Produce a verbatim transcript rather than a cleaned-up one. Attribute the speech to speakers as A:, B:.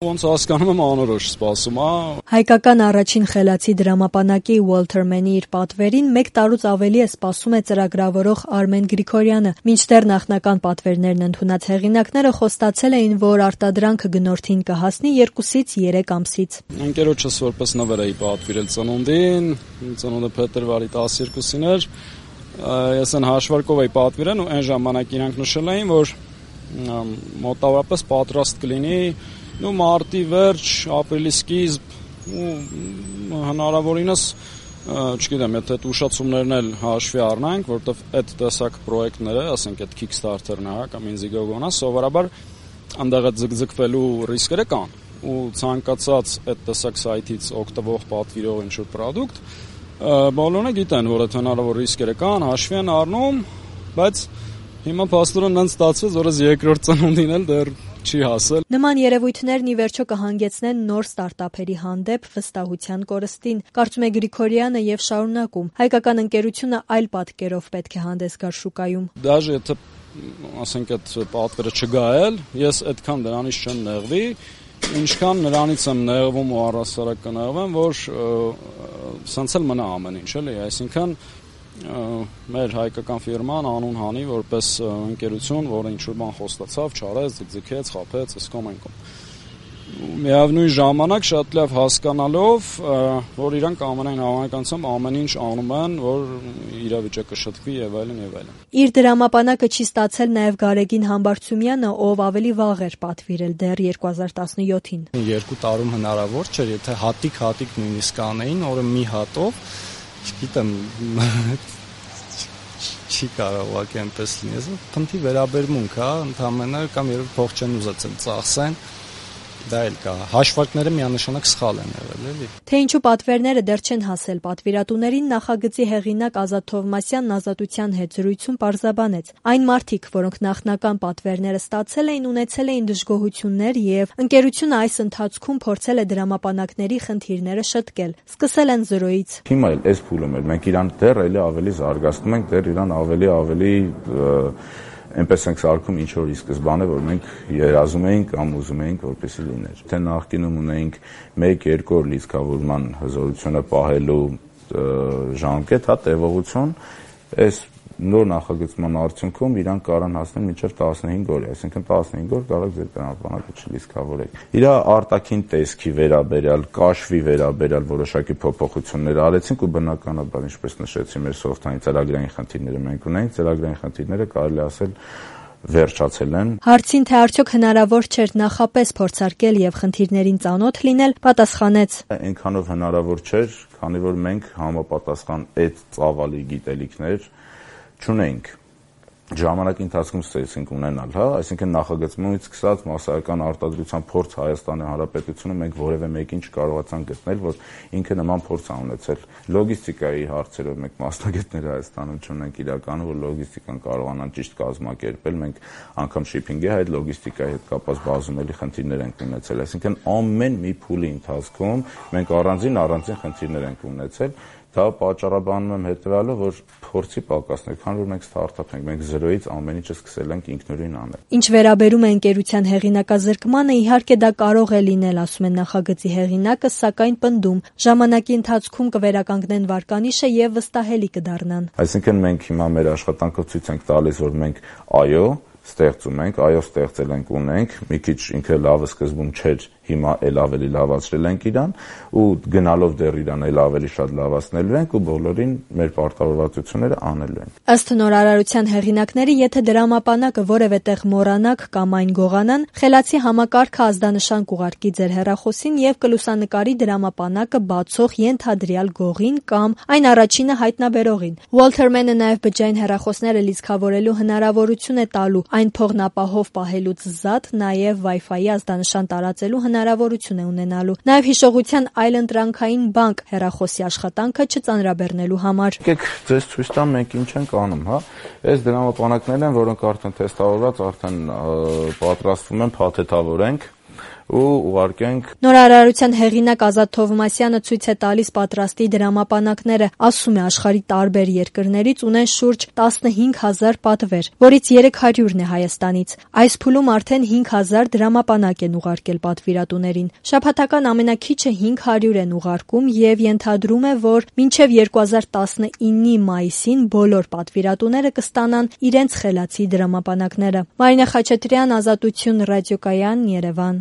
A: Ոնց հասկանում եմ անորոշ սպասում, հա։
B: Հայկական առաջին խելացի դրամապանակի Ուոլթեր Մենի իր պատվերին մեկ տարուց ավելի է սպասում է ծրագրավորող Արմեն Գրիգորյանը, մինչդեռ նախնական պատվերներն ընդունած հեղինակները խոստացել էին, որ արտադրանքը գնորդին կհասնի երկուսից երեք ամսից։
A: Ընկերոջս որպես նվեր էի պատվիրել ծնունդին, ծնունդը փետրվարի տասներկուսին էր, ես այն հաշվարկով էի պատվիրել ու այն ժամանակ իրանք նշել էին, որ մոտավորապես պատրաստ կլինի ու մարտի վերջ, ապրիլի սկիզբ ու հնարավորինս, չգիտեմ, եթե այդ ուշացումներն էլ հաշվի առնանք, որովհետև այդ տեսակ պրոյեկտները, ասենք այդ Kickstarter-ն է, կամ Indiegogo-ն է, սովորաբար այնտեղ այդ ձգձգվելու ռիսկերը կան ու ցանկացած այդ տեսակ սայթից օգտվող պատվիրող ինչ-որ պրոդուկտ, բոլորը գիտեն, որ այդ հնարավոր ռիսկերը կան, հաշվի են առնում, բայց հիմա փաստորեն այնց ստացվեց, որ այս երկրորդ ծնունդին էլ դեռ չի հասել։
B: Նման երևույթներն ի վերջո կհանգեցնեն նոր ստարտափերի հանդեպ վստահության կորստին, կարծում է Գրիգորյանը եւ շարունակում։ Հայկական ընկերությունը այլ պատկերով պետք է հանդես գար շուկայում։
A: Դաժե եթե ասենք այդ պատվերը չգա էլ, ես այդքան դրանից չեմ նեղվի, ինչքան նրանից եմ նեղվում ու առհասարակ կնեղվեմ, որ սենց էլ մնա ամեն ինչ, էլի, այսինքն մեր հայկական ֆիրման անուն հանի որպես ընկերություն, որը ինչ-որ բան խոստացավ, չարեց, ձգձգեց, խաբեց, ըսկոմ ենկոմ։ Միևնույն ժամանակ շատ լավ հասկանալով, որ իրանք ամենայն հավանականությամբ ամեն ինչ անում են, որ իրավիճակը շտկվի եւ այլն եւ այլն։
B: Իր դրամապանակը չի ստացել նաեւ Գարեգին Համբարձումյանը, ով ավելի վաղ էր պատվիրել դեռ երկու հազար տասնյոթին։
C: Երկու տարում հնարավոր չէր, եթե հատիկ-հատիկ նույնիսկ անեին, օրը մի հատով, չգիտեմ, չի կարող ուղղակի այնպես լինի, փնթի վերաբերմունք, հա, ընդհանրապես կամ երբ փող չեն ուզեցել ծախսեն, դա էլ կա։ Հաշվարկները միանշանակ սխալ են եղել, էլի։
B: Թե ինչու պատվերները դեռ չեն հասել պատվիրատուներին, նախագծի հեղինակ Ազատ Թովմասյանն Ազատության հետ զրույցում պարզաբանեց։ Այն մարդիկ, որոնք նախնական պատվերները ստացել էին, ունեցել էին դժգոհություններ եւ ընկերությունը այս ընթացքում փորձել է դրամապանակների խնդիրները շտկել։ Սկսել են զրոյից։
D: Հիմա էլ այս փուլում էր, մենք իրան դեռ էլի ավելի զարգացնում ենք, դեռ իրան ավելի ավելի այնպես ենք սարքում ինչ որ ի սկզբանե, որ մենք երազում էինք կամ ուզում էինք, որպեսզի լիներ։ Թե նախկինում ունեինք մեկ-երկու օր լիցքավորման հզորությունը պահելու ժամկետ, հա, տևողություն, այս նոր նախագծման արդյունքում իրանք կարան հասնել մինչև տասնհինգ օր, այսինքն տասնհինգ օր կարող ձեր դրամապանակը չլիցքավորեք։ Իր արտաքին տեսքի վերաբերյալ, կաշվի վերաբերյալ որոշակի փոփոխություններ արեցինք ու բնականաբար, ինչպես նշեցի, մեր սոֆթային ծրագրային խնդիրները մենք ունենք, ծրագրային խնդիրները կարելի ասել վերջացել են։
B: Հարցին, թե արդյոք հնարավոր չէր նախապես փորձարկել եւ խնդիրներին ծանոթ լինել, պատասխանեց.
D: Այնքանով հնարավոր չէր, քանի որ մենք համապատասխան այդ ծավալի գիտելիքներ չունենք։ Ժամանակի ընթացքում ստացինք ունենալ, հա, այսինքն նախագծումից սկսած մասսայական արտադրության փորձ Հայաստանի Հանրապետությունը մենք որևէ մեկին չկարողացան գտնել, որ ինքը նման փորձ ա ունեցել։ Լոգիստիկայի հարցերով մենք մասնագետներ Հայաստանում չունենք իրականում, որ լոգիստիկան կարողանան ճիշտ կազմակերպել, մենք անգամ շիփինգի հետ, լոգիստիկայի հետ կապված բազումելի խնդիրներ ենք ունեցել, այսինքն ամեն մի փուլի ընթացքում մենք առանձին առանձին խնդիրներ ենք ունեցել։ Դա պատճառաբանում եմ հետեւյալը, որ փորձի պակասներ, քանի որ մենք ստարտափ ենք, մենք զրոյից ամեն ինչը սկսել ենք ինքնուրույն անել։
B: Ինչ վերաբերում է ընկերության հեղինակազրկմանը, իհարկե դա կարող է լինել, ասում է նախագծի հեղինակը, սակայն պնդում, ժամանակի ընթացքում կվերականգնեն վարկանիշը եւ վստահելի կդառնան։
D: Այսինքն մենք հիմա մեր աշխատանքը ցույց ենք տալիս, որ մենք այո ստեղծում ենք, այո ստեղծել ենք, ունենք, մի քիչ ինքը լավը սկզբում չէր, հիմա էլ ավելի լավացրել ենք իրան ու գնալով դեռ իրան էլ ավելի շատ լավացնելու ենք ու բոլորին մեր պարտավորվածությունները անելու ենք։
B: Ըստ նորարարության հեղինակների, եթե դրամապանակը որևէ տեղ մոռանաք կամ այն գողանան, խելացի համակարգը ազդանշան կուղարկի ձեր հեռախոսին եւ կլուսանկարի դրամապանակը բացող ենթադրյալ գողին կամ այն առաջինը հայտնաբերողին։ Ուոլթեր Մենը նաեւ բջջային հեռախոսները լիցքավորելու հնարավորություն է տալու, այն փողնապահով պահելուց զատ նաեւ Wi-Fi-ի ազդանշան տարածելու հնարավորություն է ունենալու։ Նաև հիշողության այլընտրանքային բանկ հեռախոսի աշխատանքը չծանրաբեռնելու համար։
D: Եկեք ձեզ ցույց տամ մենք ինչ ենք անում, հա։ Այս դրամապանակներն են, որոնք արդեն թեստավորված, արդեն պատրաստվում են, փաթեթավորենք ու ուղարկենք։
B: Նորարարության հեղինակ Ազատ Թովմասյանը ցույց է տալիս պատրաստի դրամապանակները, ասում է աշխարհի տարբեր երկրներից ունեն շուրջ տասնհինգ հազար պատվեր, որից երեք հարյուրն է Հայաստանից։ Այս փուլում արդեն հինգ հազար դրամապանակ են ուղարկել պատվիրատուներին։ Շաբաթական ամենաքիչը հինգ հարյուր են ուղարկում եւ ենթադրում է, որ մինչեւ երկու հազար տասնինի մայիսին բոլոր պատվիրատուները կստանան իրենց խելացի դրամապանակները։ Մարինա Խաչատրյան, Ազատություն ռադիոկայան, Երևան։